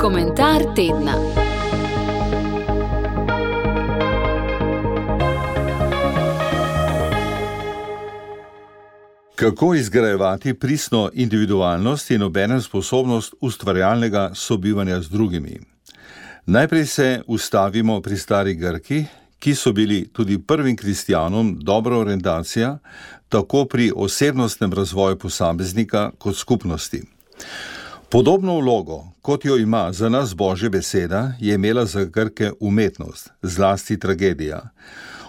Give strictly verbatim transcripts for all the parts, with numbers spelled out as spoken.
Komentar tedna. Kako izgrajevati pristno individualnost in obenem sposobnost ustvarjalnega sobivanja z drugimi? Najprej se ustavimo pri stari Grki, ki so bili tudi prvim kristjanom dobra orientacija, tako pri osebnostnem razvoju posameznika kot skupnosti. Podobno vlogo, kot jo ima za nas Božja beseda, je imela za Grke umetnost, zlasti tragedija.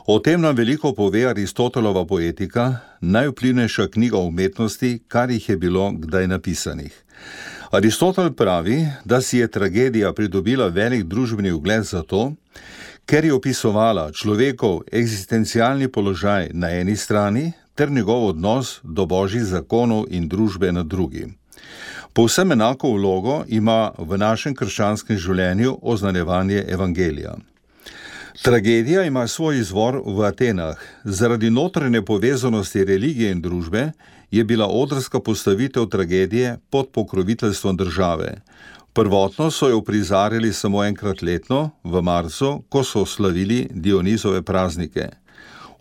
O tem nam veliko pove Aristotelova poetika, najvplivnejša knjiga o umetnosti, kar jih je bilo kdaj napisanih. Aristotel pravi, da si je tragedija pridobila velik družbeni ugled zato, ker je opisovala človekov eksistencialni položaj na eni strani ter njegov odnos do božjih zakonov in družbe na drugi. Povsem enako vlogo ima v našem krščanskem življenju oznanjevanje evangelija. Tragedija ima svoj izvor v Atenah. Zaradi notranje povezanosti religije in družbe je bila odrska postavitev tragedije pod pokroviteljstvom države. Prvotno so jo prizarjali samo enkrat letno, v marcu, ko so slavili Dionizove praznike.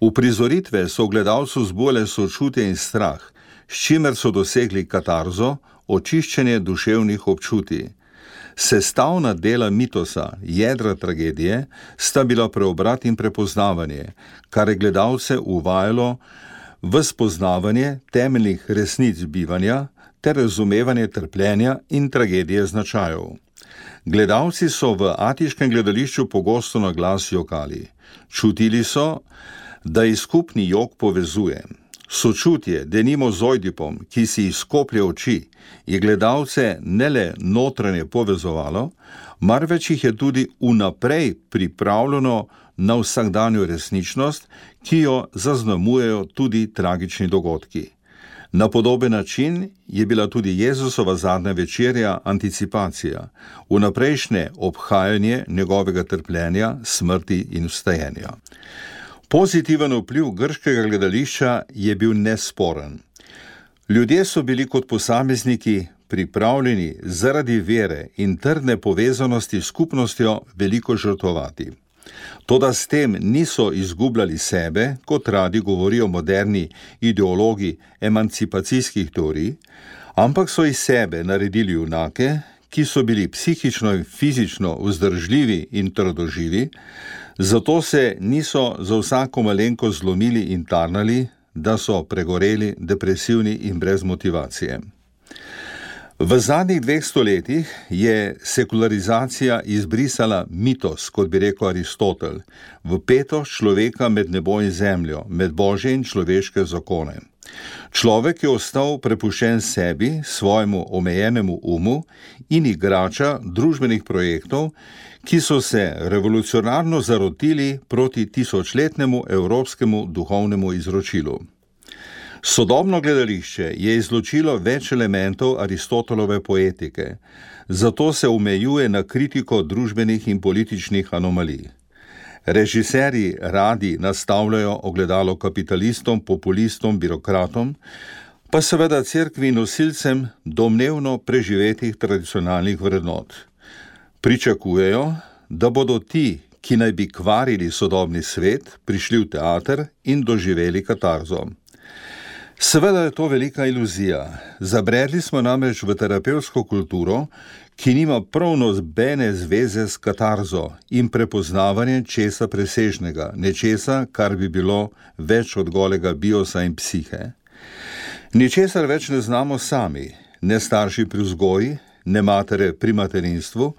Uprizoritve so gledalcu zbujale sočutje in strah, s čimer so dosegli katarzo, očiščenje duševnih občutij. Sestavna dela mitosa, jedra tragedije, sta bila preobrat in prepoznavanje, kar je gledalce uvajalo v spoznavanje temeljnih resnic bivanja ter razumevanje trpljenja in tragedije značajev. Gledalci so v atiškem gledališču pogosto na glas jokali. Čutili so, da jih skupni jok povezuje. Sočutje, denimo z Ojdipom, ki si izkoplje oči, je gledalce ne le notranje povezovalo, marveč jih je tudi vnaprej pripravljeno na vsakdanjo resničnost, ki jo zaznamujejo tudi tragični dogodki. Na podoben način je bila tudi Jezusova zadnja večerja anticipacija, vnaprejšnje obhajanje njegovega trpljenja, smrti in vstajenja. Pozitiven vpliv grškega gledališča je bil nesporen. Ljudje so bili kot posamezniki pripravljeni zaradi vere in trdne povezanosti s skupnostjo veliko žrtvovati. Toda s tem niso izgubljali sebe, kot radi govorijo moderni ideologi emancipacijskih teorij, ampak so iz sebe naredili junake, ki so bili psihično in fizično vzdržljivi in trdoživi, zato se niso za vsako malenko zlomili in tarnali, da so pregoreli, depresivni in brez motivacije. V zadnjih dveh stoletjih je sekularizacija izbrisala mitos, kot bi rekel Aristotel, vpetost človeka med nebo in zemljo, med božje in človeške zakone. Človek je ostal prepuščen sebi, svojemu omejenemu umu in igrača družbenih projektov, ki so se revolucionarno zarotili proti tisočletnemu evropskemu duhovnemu izročilu. Sodobno gledališče je izločilo več elementov Aristotelove poetike, zato se omejuje na kritiko družbenih in političnih anomalij. Režiserji radi nastavljajo ogledalo kapitalistom, populistom, birokratom, pa seveda cerkvi nosilcem domnevno preživetih tradicionalnih vrednot. Pričakujejo, da bodo ti, ki naj bi kvarili sodobni svet, prišli v teater in doživeli katarzo. Seveda je to velika iluzija. Zabredli smo namreč v terapevtsko kulturo, ki nima prav nobene zveze s katarzo in prepoznavanjem česa presežnega, nečesa, kar bi bilo več od golega biosa in psihe. Ničesar več ne znamo sami, ne starši pri vzgoji, ne matere pri materinstvu,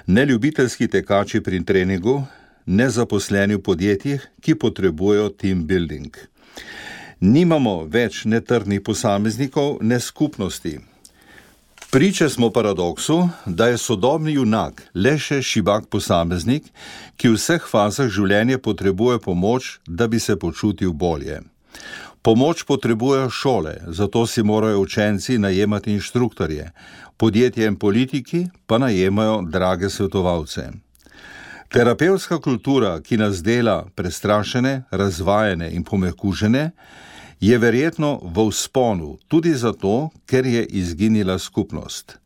ne ljubiteljski tekači pri treningu, ne zaposleni v podjetjih, ki potrebujejo team building. Nimamo več ne trdnih posameznikov, ne skupnosti. Priče smo paradoksu, da je sodobni junak le še šibak posameznik, ki v vseh fazah življenja potrebuje pomoč, da bi se počutil bolje. Pomoč potrebujejo šole, zato si morajo učenci najemati inštruktorje, podjetja in politiki pa najemajo drage svetovalce. Terapevtska kultura, ki nas dela prestrašene, razvajene in pomekužene, je verjetno v vzponu, tudi zato, ker je izginila skupnost.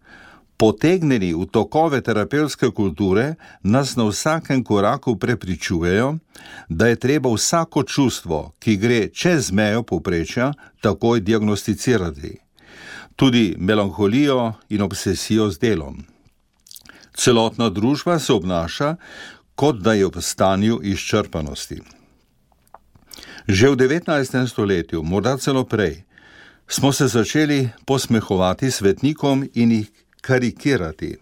Potegnjeni v tokove terapevtske kulture nas na vsakem koraku prepričujejo, da je treba vsako čustvo, ki gre čez mejo povprečja, takoj diagnosticirati. Tudi melanholijo in obsesijo z delom. Celotna družba se obnaša, kot da je v stanju izčrpanosti. Že v devetnajstem stoletju, morda celo prej, smo se začeli posmehovati svetnikom in jih karikirati.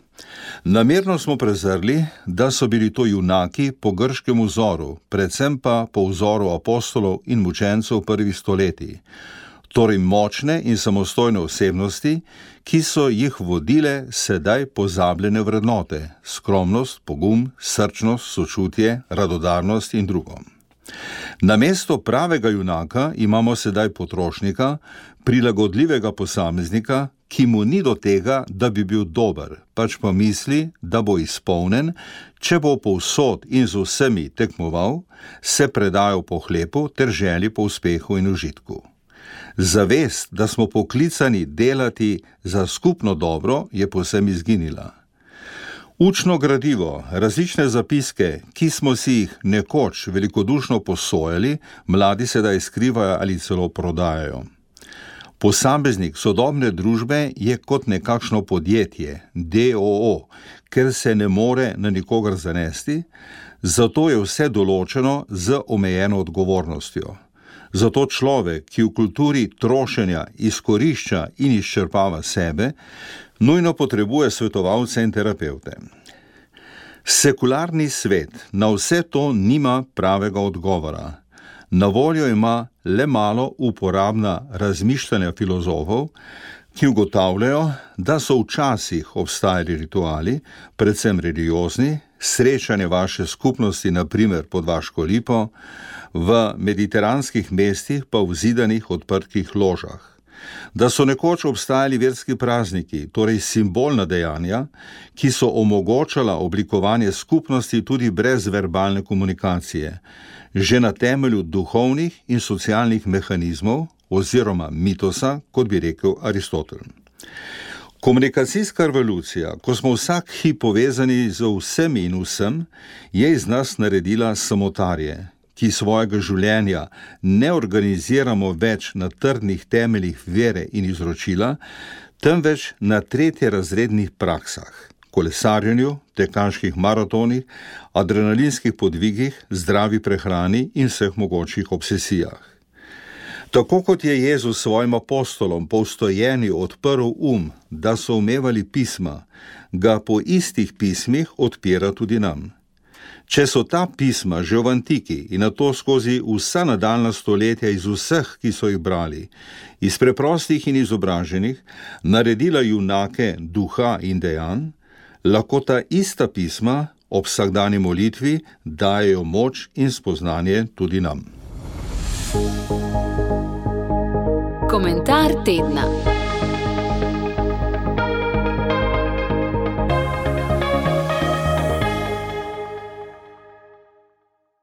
Namerno smo prezrli, da so bili to junaki po grškem vzoru, predvsem pa po vzoru apostolov in mučencev prvih stoletij, torej močne in samostojne osebnosti, ki so jih vodile sedaj pozabljene vrednote, skromnost, pogum, srčnost, sočutje, radodarnost in drugo. Namesto pravega junaka imamo sedaj potrošnika, prilagodljivega posameznika, ki mu ni do tega, da bi bil dober, pač pa misli, da bo izpolnen, če bo povsod in z vsemi tekmoval, se predajal pohlepu ter želji po uspehu in užitku. Zavest, da smo poklicani delati za skupno dobro, je povsem izginila. Učno gradivo, različne zapiske, ki smo si jih nekoč velikodušno posojali, mladi sedaj skrivajo ali celo prodajajo. Posameznik sodobne družbe je kot nekakšno podjetje, D O O, ker se ne more na nikogar zanesti, zato je vse določeno z omejeno odgovornostjo. Zato človek, ki v kulturi trošenja izkorišča in izčrpava sebe, nujno potrebuje svetovalce in terapevte. Sekularni svet na vse to nima pravega odgovora. Na voljo ima le malo uporabna razmišljanja filozofov, ki ugotavljajo, da so včasih obstajali rituali, predvsem religiozni, srečanje vaše skupnosti, na primer pod vaško lipo, v mediteranskih mestih pa v zidanih odprtih ložah. Da so nekoč obstajali verski prazniki, torej simbolna dejanja, ki so omogočala oblikovanje skupnosti tudi brez verbalne komunikacije, že na temelju duhovnih in socialnih mehanizmov oziroma mitosa, kot bi rekel Aristotel. Komunikacijska revolucija, ko smo vsak hip povezani z vsemi in vsem, je iz nas naredila samotarje, ki svojega življenja ne organiziramo več na trdnih temeljih vere in izročila, temveč na tretjerazrednih praksah, kolesarjenju, tekaških maratonih, adrenalinskih podvigih, zdravi prehrani in vseh mogočih obsesijah. Tako kot je Jezus svojim apostolom po vstojenju odprl um, da so umevali pisma, ga po istih pismih odpira tudi nam. Če so ta pisma že v antiki in nato skozi vsa nadaljnja stoletja iz vseh, ki so jih brali, iz preprostih in izobraženih, naredila junake duha in dejanj, lahko ta ista pisma ob vsakdanji molitvi dajejo moč in spoznanje tudi nam. Komentar tedna.